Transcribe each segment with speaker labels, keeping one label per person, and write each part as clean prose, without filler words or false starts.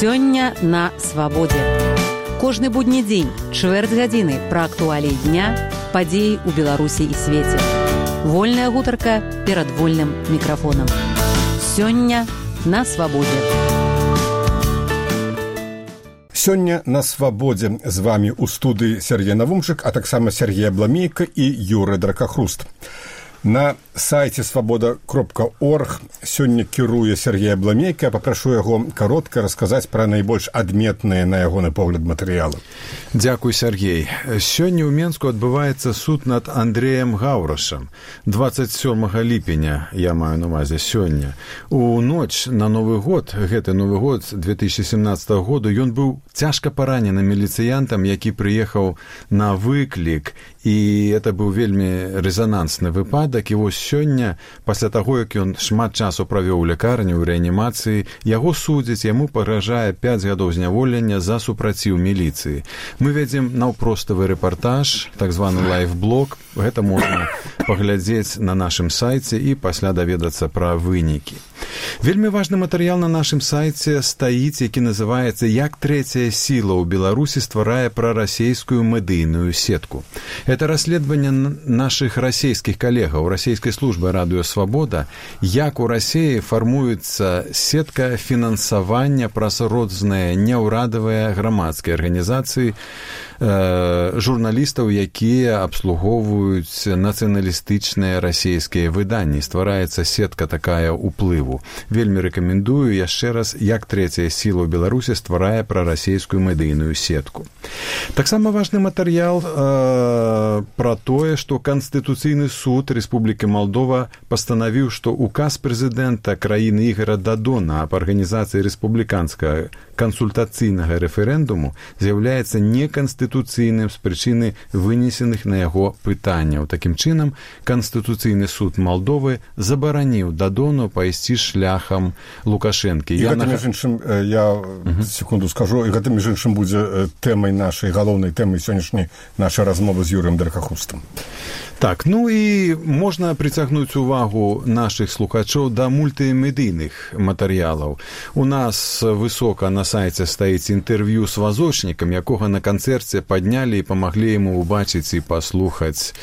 Speaker 1: Сёння на свабодзе. Кожны будні дзень, чвэрць гадзіны пра актуаліі дня, падзеі ў Беларусі і свеце. Вольная гутарка перад вольным мікрафонам. Сёння на свабодзе.
Speaker 2: Сёння на свабодзе з вамі ў студыі Сергей Навумчык, а таксама Сергей Абламейка і Юрый Дракахруст. На сайце свабода.орг сёння кіруе Сергей Абламейка. Папрашу яго каротка расказаць пра найбольш адметныя, на ягоны погляд, матэрыялы.
Speaker 3: Дзякуй, Сергей. Сёння ў Менску адбываецца суд над Андрэем Гаўрашам. 27 ліпеня, я маю на увазе сёння. У ноч на Новы год, гэты Новы год 2017 году, ён быў цяжка паранены міліцыянтам, які прыехаў на выклік, і это быў вельмі рэзанансны выпадак. І вось сёння, пасля таго, як ён шмат часу правёў у лякарні, у рэанімацыі, яго судзяць, яму пагражае 5 гадоў зняволення за супраціў міліцыі. Мы вядзем наўпроставы рэпартаж, так званы лайфблог. Гэта можна паглядзець на нашым сайце і пасля даведацца пра вынікі. Вельмі важны матэрыял на нашым сайце стаіць, які называецца «Як трэцяя сіла ў Беларусі стварае прарасейскую медыйную сетку». Это расследаванне нашых расійскіх калегаў расійскай службы «Радыё Свабода», як у Расіі фармуецца сетка фінансавання праз розныя няўрадавыя грамадскія арганізацыі, журналістаў, якія абслугоўваюць нацыяналістычныя расійскія выданні. Ствараецца сетка такая ўплыву. Вельмі рэкамендую яшчэ раз, як трэцяя сіла ў Беларусі стварае прарасійскую медыйную сетку. Таксама важны матэрыял пра тое, што Канстытуцыйны суд Рэспублікі Малдова пастанавіў, што указ прэзідэнта краіны Ігара Дадона аб арганізацыі рэспубліканскага кансультацыйнага рэферэндуму з'яўляецца неканстытуцыйным з прычыны вынесеных на яго пытанняў. Такім чынам, Канстытуцыйны суд Малдовы забараніў Дадону пайсці шляхам Лукашэнкі.
Speaker 2: І гэта, між іншым, я секунду скажу, і гэта, між іншым, будзе тэмай нашай, галоўнай тэмай сённяшняй нашай размовы з Юрыем Дракахрустам.
Speaker 3: Так, ну і можна прыцягнуць увагу нашых слухачоў да мультымедыйных матэрыялаў. У нас высока на сайце стаіць інтэрв'ю з вазочнікам, якога на канцэрце паднялі і памаглі яму ўбачыць і паслухаць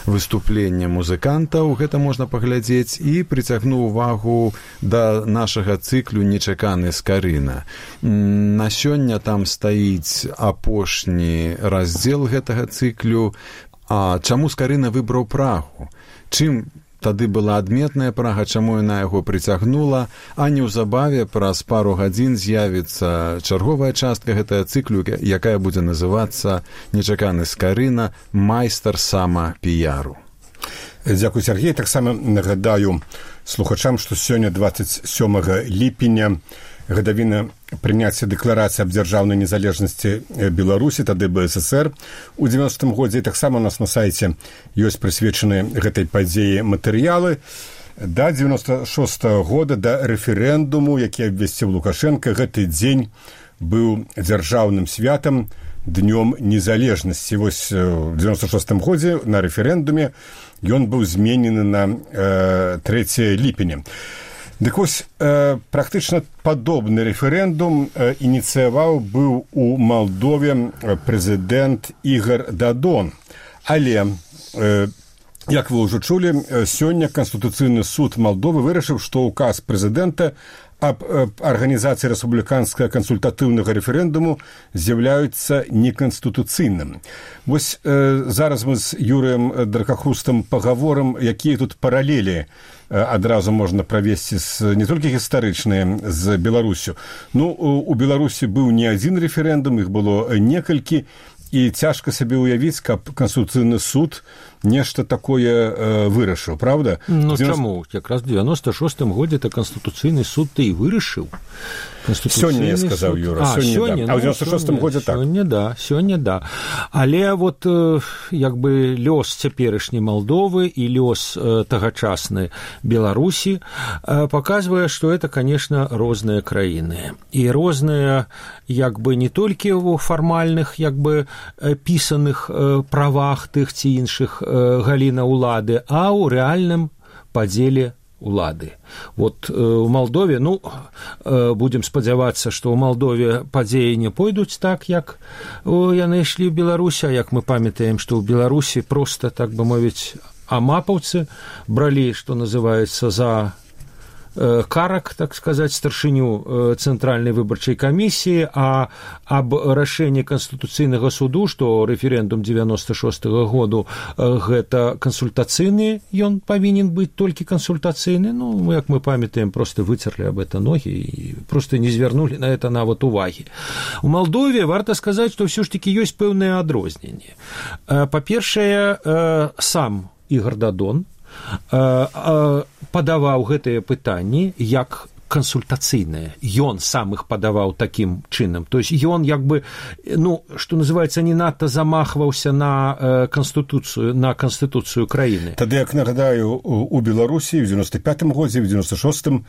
Speaker 3: выступленне музыкантаў. Гэта можна паглядзець. І прыцягну увагу да нашага цыклю «Нечаканы Скарына». На сёння там стаіць апошні раздзел гэтага цыклю. А чаму Скарына выбраў Прагу? Чым тады была адметная Прага, чаму яна яго прыцягнула, а неўзабаве праз пару гадзін з'явіцца чарговая частка гэтага цыклю, якая будзе называцца «Нечаканы Скарына. Майстар самапіяру».
Speaker 2: Дзякуй, Сергей. Таксама нагадаю слухачам, што сёння 27 ліпеня гадавіна прыняцця дэкларацыі аб дзяржаўнай незалежнасці Беларусі, тады БССР у 90-м годзе. І таксама у нас на сайце ёсць прысвечаныя гэтай падзеі матэрыялы. Да 96-го года, да рэферэндуму, які абвясціў Лукашенко, гэты дзень быў дзяржаўным святам, днём незалежнасці. Вось у 96-м годзе на рэферэндуме ён быў зменены на 3 ліпеня. Дык вось, практычна падобны рэферэндум ініцыяваў быў у Малдове прэзідэнт Ігар Дадон. Але, як вы ўжо чулі, сёння Канстытуцыйны суд Малдовы вырашыў, што указ прэзідэнта аб арганізацыі рэспубліканскага кансультатыўнага рэферэндуму з'яўляюцца неканстытуцыйным. Вось зараз мы з Юрыем Дракахрустам пагаворым, якія тут паралелі адразу можна правесці не толькі гістарычныя з Беларусю. Ну, у Беларусі быў не адзін рэферэндум, іх было некалькі, і цяжка сабе ўявіць, каб Канстытуцыйны суд нешта такое вырашыў, правда?
Speaker 4: Ну, чаму? Якраз в 96-м годзе то Канстытуцыйны суд ты і вырашыў.
Speaker 2: Сёння, я сказаў, Юра. Сёння, да. А ў 96-м годзе так.
Speaker 4: Сёння, да. Але вот, як бы, лёс цяперашняй Малдовы і лёс тагачасны Беларусі паказвае, што это, конечно, розныя краіны. І розныя, як бы, не толькі ў фармальных, як бы, пісаных правах тых ці іншых галіна ўлады, а ў рэальным падзеле улады. Вот у Молдове, ну, будем спадзявацца, што ў Молдове падзеі не пойдуць так, як яны ішлі ў Беларусі, а як мы памятаем, што ў Беларусі проста, так бы мовіць, амапаўцы бралі, што называецца, за карак, так сказать, старшыню Цэнтральнай выбарчай камісіі, а аб рашэнні Канстытуцыйнага суду, што рэферэндум 96-го году гэта кансультацыйны, ён павінен быць толькі кансультацыйны, ну, як мы памятаем, просто выцерлі аб это ногі і просто не звярнулі на это нават увагі. У Молдове варта сказаць, што ўсё ж такі ёсць пэўныя адрозненні. Па-першае, сам Ігор Дадон падаваў гэтыя пытанні як кансультацыйныя. Ён сам іх падаваў такім чынам. То есть ён як бы, ну, што называецца, не надта замахваўся на канстытуцыю краіны.
Speaker 2: Тады, як нагадаю, у Беларусі ў 95-м годзе, ў 96-м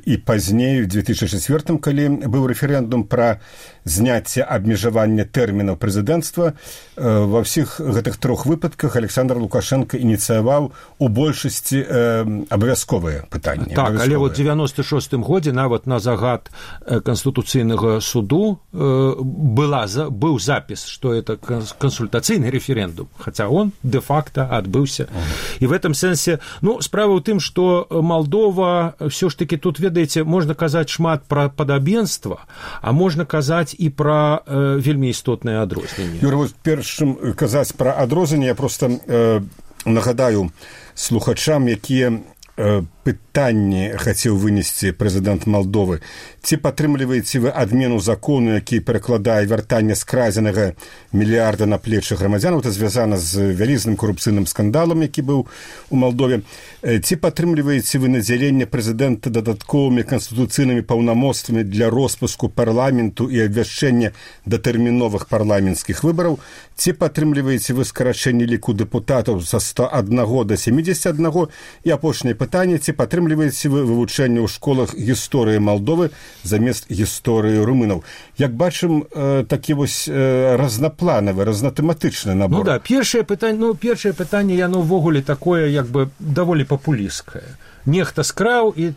Speaker 2: і пазней, у 2004-м, калі быў рэферэндум пра зняцце абмежавання тэрмінаў прэзідэнцтва, ва ўсіх гэтых трох выпадках Александр Лукашенко ініцыяваў у большасці абавязковыя пытанні.
Speaker 4: Так, але вот 96-м годзе нават на загад Канстытуцыйнага суду быў запіс, што это кансультацыйны рэферэндум, хаця он де-факто адбыўся. І в этом сэнсе, ну, справа ў тым, што Молдова ўсё ж таки тут, ведаеце, можна казаць шмат пра падабенства, а можна казаць і пра вельмі істотныя адрозненні.
Speaker 2: Юрий, вот першым казаць пра адрозненні, я просто нагадаю слухачам, якія пытанні хацеў вынесці прэзідэнт Молдовы. Ці падтрымліваеце вы адмену закону, які перакладае вяртанне скрадзенага мільярда на плечы грамадзян? Это звязана з вялізным карупцыйным скандалам, які быў у Молдове. Ці падтрымліваеце вы надзяленне прэзідэнта дадатковымі канстытуцыйнымі паўнамоцтвамі для роспуску парламенту і абвяшчэння датэрміновых парламенцкіх выбараў? Ці падтрымліваеце вы скарачэнне ліку дэпутатаў са 101 до 71? І апошняе пытанне, ці падтрымліваеце вы вывучэнне ў школах гісторыі Молдовы замест гісторыі румынаў? Як бачым, такі вось разнапланавы, разнатэматычны набор.
Speaker 4: Ну да, першае пытанне, яно ўвогуле такое, як бы, даволі папулісткае. Нехта скраў і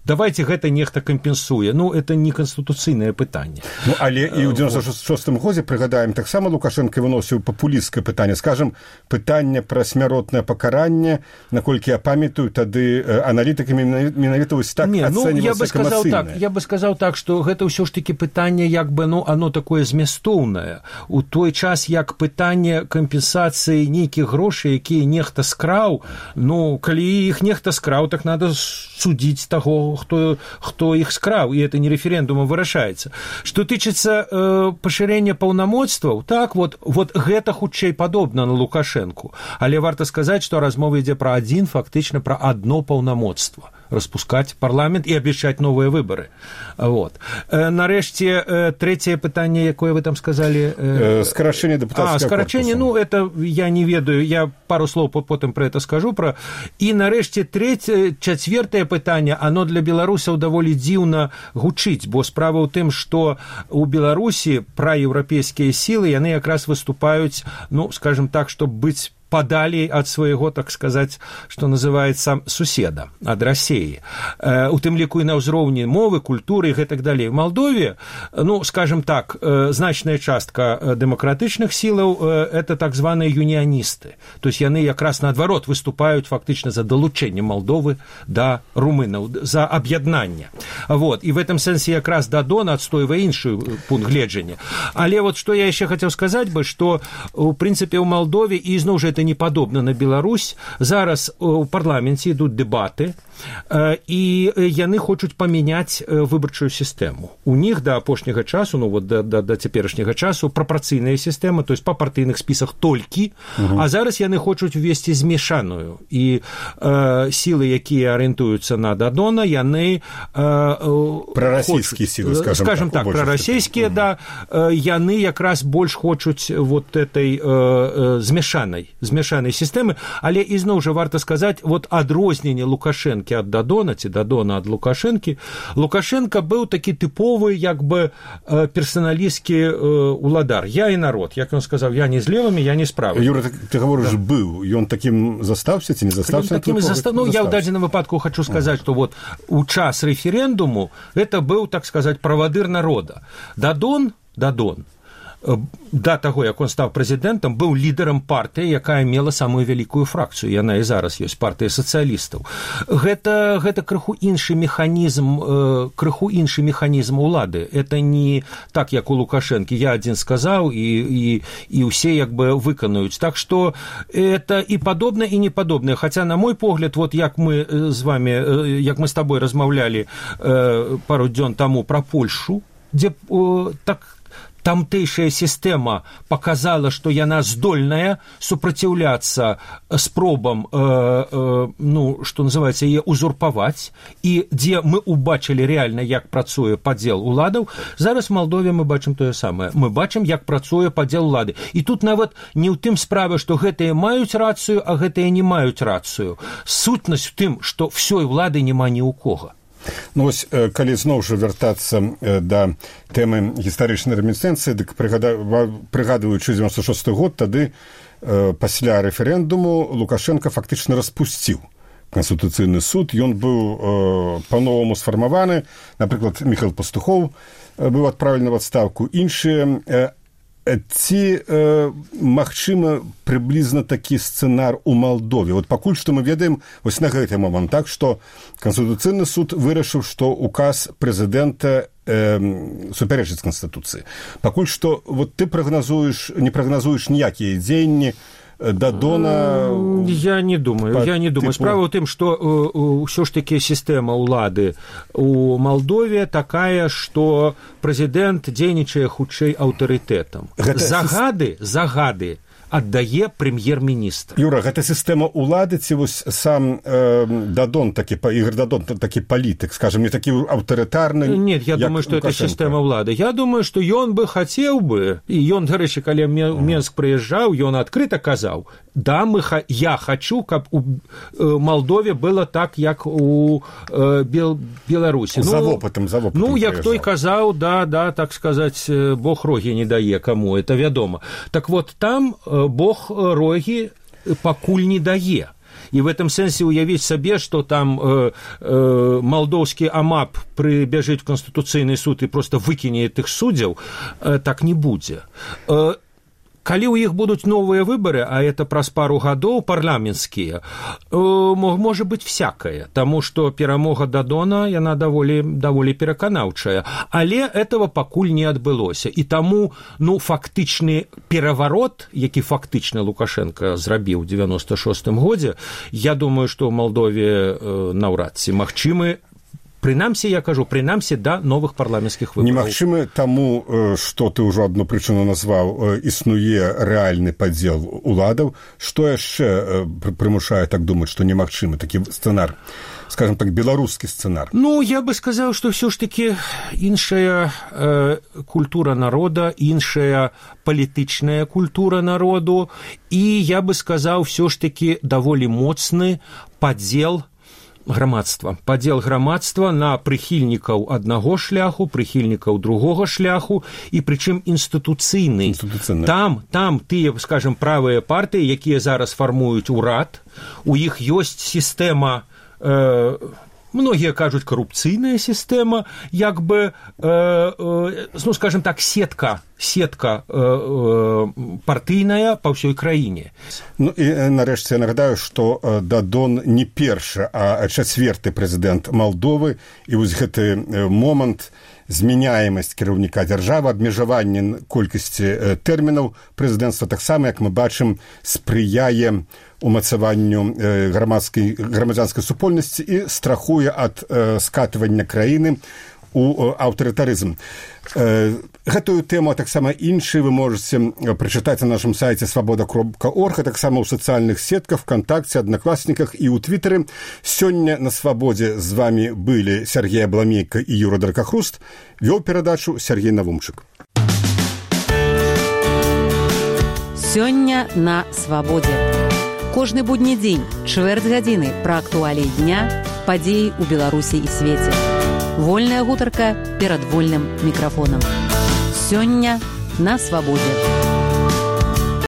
Speaker 4: давайте гэта нехта кампенсуе. Ну, это не канстытуцыйнае пытанне.
Speaker 2: Ну, але і ў 96-м годзе, прыгадаем, таксама Лукашенко выносіў папулісцкае пытанне. Скажам, пытанне пра смяротнае пакаранне, наколькі я памятаю, тады аналітыкамі менавіта вось так ацэньвалася эмацыйнае.
Speaker 4: Я бы сказаў так, што гэта ўсё ж такі пытанне, як бы, ну, оно такое змястоўнае. У той час, як пытанне кампенсацыі нейкіх грошай, якія нехта скраў, ну, калі іх нехта скраў, так надо судзіць таго, хто іх скраў, і это не рэферэндумам вырашаецца. Што тычыцца пашырэння паўнамоцтваў, так, вот гэта хутчэй падобна на Лукашэнку. Але варта сказаць, што размова ідзе пра фактычна пра адно паўнамоцтва. Распускаць парламент і абвяшчаць новыя выбары. Вот. Нарэшце, трэцяе пытанне, якое вы там сказалі?
Speaker 2: Скарачэнне дэпутацкага корпуса.
Speaker 4: Скарачэнне, ну, это я не ведаю, я пару слоў потым пра это скажу. І нарэшце, чацвёртае пытанне, оно для беларусаў даволі дзіўна гучыць, бо справа ў тым, што у Беларусі праеўрапейскія сілы, яны якраз выступаюць, ну, скажем так, чтобы быць падалей ад свайго, так сказаць, што называецца, суседа, ад Расіі. У тым ліку і на ўзроўні мовы, культуры і гэтак далей. У Молдове, ну, скажем так, значная частка дэмакратычных сілаў – это так званыя юніяністы. То есть яны якраз наадварот выступаюць фактычна за далучэнне Молдовы да румынаў, за аб'яднанне. Вот. І в этом сэнсе якраз Дадон адстойвае іншы пункт гледжання. Але вот што я яшчэ хацеў сказаць бы, што, у прынцыпе, у Молдове, і зноў жа это не падобна на Беларусь, зараз у парламенце ідуць дэбаты, і яны хочуць памяняць выбарчую сістэму. У них да апошняга часу, ну вот да цяперашняга часу прапарцыйная сістэма, то есть па партыйных спісах толькі, а зараз яны хочуць увесці змешаную. І сілы, якія арыентуюцца на Дадона, яны
Speaker 2: прарасійскія сілы,
Speaker 4: скажем так, прарасійскія, да, яны якраз больш хочуць вот этой змешанай змяшанай сістэмы, але ізноў жа варта сказаць, вот адрозненне Лукашэнкі ад Дадона, ці Дадона ад Лукашэнкі, Лукашенко быў такі тыповы, як бы, персаналісцкі уладар. Я і народ. Як ён сказаў, я не з левымі, я не з правымі.
Speaker 2: Юра, ты говориш, быў. Ён такім застаўся ці не застаўся?
Speaker 4: Ну, я ў дадзеным выпадку хочу сказаць, што вот у час рэферэндуму это быў, так сказаць, правадыр народа. Дадон, да таго, як он стаў прэзідэнтам, быў лідарам партыі, якая мела самую вялікую фракцыю. Яна і зараз ёсць, партыя сацыялістаў. Гэта крыху іншы механізм улады. Это не так, як у Лукашэнкі. Я адзін сказаў, і ўсе як бы выканаюць. Так што это і падобна, і не падобна. Хаця, на мой погляд, вот як мы з табой размаўлялі пару дзён таму пра Польшу, дзе так тамтэйшая сістэма показала, што яна здольная супраціўляцца спробам, што называецца, яе узурпаваць, і дзе мы убачылі рэальна, як працуе падзел уладаў. Зараз в Малдове мы бачым тое самае. Мы бачым, як працуе падзел улады. І тут нават не ў тым справа, што гэтыя маюць рацыю, а гэтыя не маюць рацыю. Сутнасць у тым, што ўсёй улады няма ні ў кога.
Speaker 2: Ну, вось, калі зноў жа вяртацца да тэмы гістарычнай ремінісцэнцыі, дык прыгадваючы 96 год, тады пасля рэферэндуму Лукашенко фактычна распусціў Канстытуцыйны суд. Ён быў па-новаму сфармаваны. Напрыклад, Міхаіл Пастухоў быў адпраўлены ў адстаўку. Іншыя. Ці магчыма прыблізна такі сцэнар у Малдове? Вот пакуль што мы ведаем вось на гэты момант, так, што Канстытуцыйны суд вырашыў, што указ прэзідэнта супярэчыць Канстытуцыі. Пакуль што вот ты не прагназуеш ніякія дзеянні Дадона...
Speaker 4: Я не думаю. Справа ў тым, што ўсё ж такі сістэма ўлады у Малдове такая, што прэзідэнт дзейнічае хутчэй аўтарытэтам. Загады аддае прэм'ер-міністр.
Speaker 2: Юра, гэта сістэма ўлады ці вось сам Дадон, Ігор Дадон, такі палітык, скажем, не такі аўтарытарны?
Speaker 4: Нет, я думаю, што это сістэма ўлады. Я думаю, што ён бы хацеў бы, і ён, дарэчы, калі Менск прыязджаў, ён адкрыта казаў, да, я хочу, каб у Малдове было так, як у Беларусі.
Speaker 2: За вопытам
Speaker 4: Ну, як той казаў, да, так сказаць, Бог рогі не дае каму, это вядома. Так вот, там Бог рогі пакуль не дае. І в этом сэнсе уявіць сабе, што там малдоўскі АМАП прыбяжыць в Канстытуцыйны суд і просто выкіне тых суддзяў, так не будзе. Калі ў іх будуць новыя выбары, а это праз пару гадоў парламенцкія, можа быць всякае, таму што перамога Дадона, яна даволі пераканаўчая. Але этого пакуль не адбылося. І таму, фактычны пераварот, які фактычна Лукашенко зрабіў у 96-м годзе, я думаю, што ў Малдове наўрад ці магчымы, прынамсі, я кажу, да новых парламенцкіх выбараў.
Speaker 2: Немагчымы таму, што ты ўжо адну прычыну назваў, існуе рэальны падзел уладаў. Што яшчэ прымушае так думаць, што немагчымы такі сцэнар, скажем так, беларускі сцэнар?
Speaker 4: Я бы сказаў, што ўсё ж такі іншая культура народа, іншая палітычная культура народу, і я бы сказаў, ўсё ж такі даволі моцны падзел грамадства на прыхільнікаў аднаго шляху, прыхільнікаў другога шляху, і прычым інстытуцыйны. Там тыя, скажем, правыя партыі, якія зараз фармуюць урад, у іх ёсць сістэма, многія кажуць, карупцыйная сістэма, як бы, скажем так, сетка партыйная па ўсёй краіне.
Speaker 2: І нарэшце я нагадаю, што Дадон не першы, а чацвёрты прэзідэнт Малдовы, і вось гэты момант змяняемасць кіраўніка дзяржавы, абмежаванне колькасці тэрмінаў прэзідэнцтва таксама, як мы бачым, спрыяе умацаванню грамадзянскай супольнасці і страхуе ад скатывання краіны у аўтарытарызм. Гэтую тэму, а таксама іншыя вы можаце прачытаць на нашым сайце свабода.орг, а таксама ў сацыяльных сетках, ВКонтакце, Аднакласніках і ў Твітары. Сёння на Свабодзе з вамі былі Сергей Абламейка і Юра Даркахруст. Вёў перадачу Сергей Навумчык.
Speaker 1: Сёння на свабодзе. Кожны будні дзень, чвэрць гадзіны пра актуаліі дня, падзеі ў Беларусі і свеце. Вольная гутарка перад вольным мікрафонам. Сёння на свабодзе.